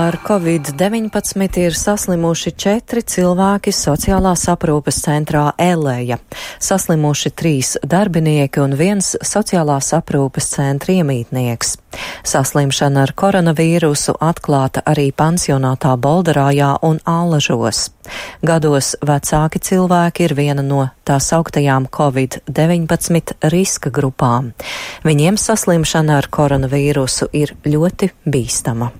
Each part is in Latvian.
Ar Covid-19 ir saslimuši 4 cilvēki sociālās aprūpes centrā Eleja. Saslimuši 3 darbinieki un 1 sociālās aprūpes centra iemītnieks. Saslimšana ar koronavīrusu atklāta arī pansionātā Bolderājā un Allažos. Gados vecāki cilvēki ir viena no tā sauktajām Covid-19 riska grupām. Viņiem saslimšana ar koronavīrusu ir ļoti bīstama.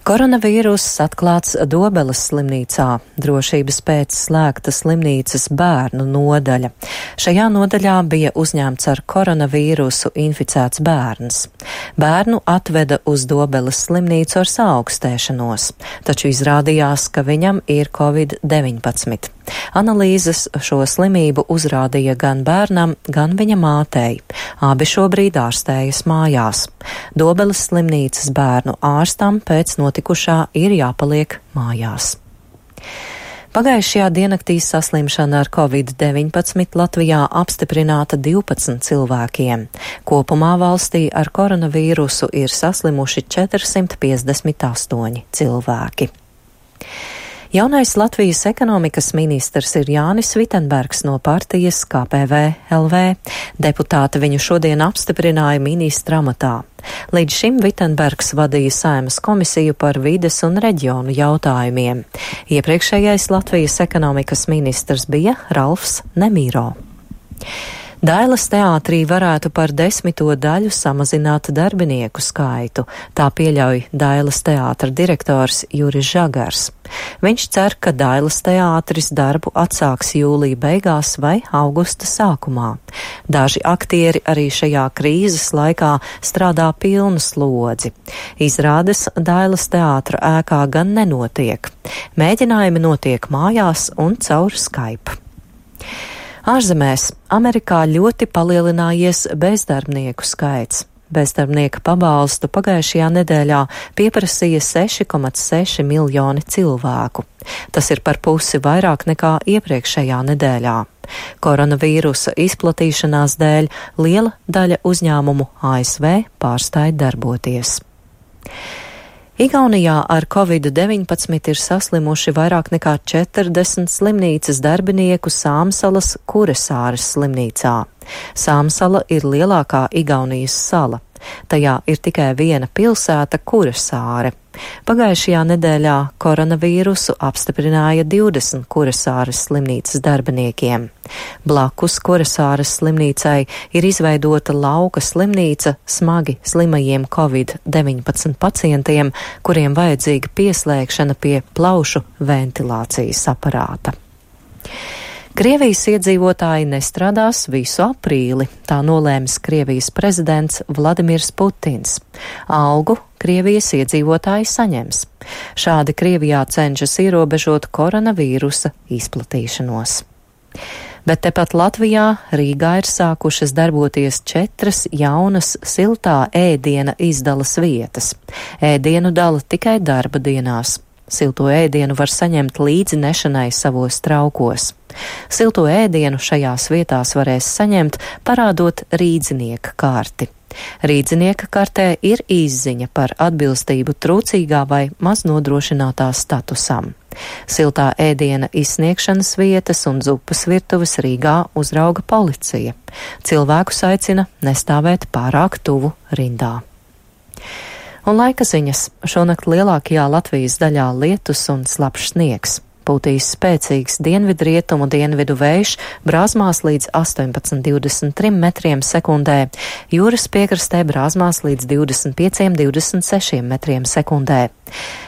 Koronavīruss atklāts Dobeles slimnīcā, drošības pēc slēgta slimnīcas bērnu nodaļa. Šajā nodaļā bija uzņemts ar koronavīrusu inficēts bērns. Bērnu atveda uz Dobeles slimnīcu ar saaugstēšanos, taču izrādījās, ka viņam ir Covid-19. Analīzes šo slimību uzrādīja gan bērnam, gan viņa mātei. Abi šobrīd ārstējas mājās. Dobeles slimnīcas bērnu ārstam pēc notikušā ir jāpaliek mājās. Pagājušajā diennaktī saslimšana ar Covid-19 Latvijā apstiprināta 12 cilvēkiem. Kopumā valstī ar koronavīrusu ir saslimuši 458 cilvēki. Jaunais Latvijas ekonomikas ministrs ir Jānis Vitenbergs no partijas KPV-LV. Deputāti viņu šodien apstiprināja ministra amatā. Līdz šim Vitenbergs vadīja Saeimas komisiju par vides un reģionu jautājumiem. Iepriekšējais Latvijas ekonomikas ministrs bija Ralfs Nemīro. Dailes teātrī varētu par 10. daļu samazināt darbinieku skaitu, tā pieļauj Dailes teātra direktors Juris Žagars. Viņš cer, ka Dailes teātris darbu atsāks jūlija beigās vai augusta sākumā. Daži aktieri arī šajā krīzes laikā strādā pilnu slodzi. Izrādes Dailes teātra ēkā gan nenotiek. Mēģinājumi notiek mājās un caur Skype. Ārzemēs Amerikā ļoti palielinājies bezdarbnieku skaits. Bezdarbnieka pabalstu pagājušajā nedēļā pieprasīja 6,6 miljoni cilvēku. Tas ir par pusi vairāk nekā iepriekšējā nedēļā. Koronavīrusa izplatīšanās dēļ liela daļa uzņēmumu ASV pārstāja darboties. Igaunijā ar Covid-19 ir saslimuši vairāk nekā 40 slimnīcas darbinieku Sāmsalas Kuresāres slimnīcā. Sāmsala ir lielākā Igaunijas sala. Tajā ir tikai viena pilsēta Kuresāre. Pagājušajā nedēļā koronavīrusu apstiprināja 20 Kuresāres slimnīcas darbiniekiem. Blakus Kuresāres slimnīcai ir izveidota lauka slimnīca smagi slimajiem Covid-19 pacientiem, kuriem vajadzīga pieslēgšana pie plaušu ventilācijas aparāta. Krievijas iedzīvotāji nestrādās visu aprīli, tā nolēmis Krievijas prezidents Vladimirs Putins. Algu Krievijas iedzīvotāji saņems. Šādi Krievijā cenšas ierobežot koronavīrusa izplatīšanos. Bet tepat Latvijā Rīgā ir sākušas darboties 4 jaunas siltā ēdiena izdalas vietas. Ēdienu dala tikai darba dienās. Silto ēdienu var saņemt līdzi nešanai savos traukos. Silto ēdienu šajās vietās varēs saņemt, parādot rīdzinieka karti. Rīdzinieka kartē ir izziņa par atbilstību trūcīgā vai maznodrošinātā statusam. Siltā ēdiena izsniegšanas vietas un zupas virtuves Rīgā uzrauga policija. Cilvēkus aicina nestāvēt pārāk tuvu rindā. Un laika ziņas. Šonakt lielākajā Latvijas daļā lietus un slapjš sniegs. Pūtīs spēcīgs dienvidrietumu dienvidu vējš, brāzmās līdz 18–23 metriem sekundē, jūras piekrastē brāzmās līdz 25–26 metriem sekundē.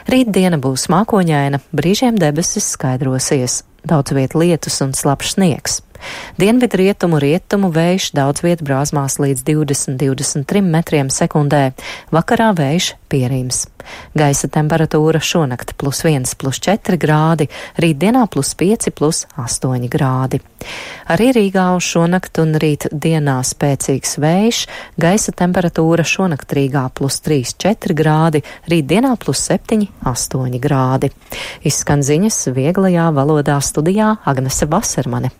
Rītdiena būs mākoņaina, brīžiem debesis skaidrosies. Daudz viet lietus un slapjš sniegs. Dienvidrietumu rietumu vējš daudz viet brāzmās līdz 20–23 metriem sekundē, vakarā vējš pierims. Gaisa temperatūra šonakt +1–+4 grādi, rītdienā +5–+8 grādi. Arī Rīgā uz šonakt un rīt dienā spēcīgs vējš, gaisa temperatūra šonakt Rīgā +3–4 grādi, rītdienā +7–8 grādi. Izskan ziņas vieglajā valodā studijā Agnese Vasermane.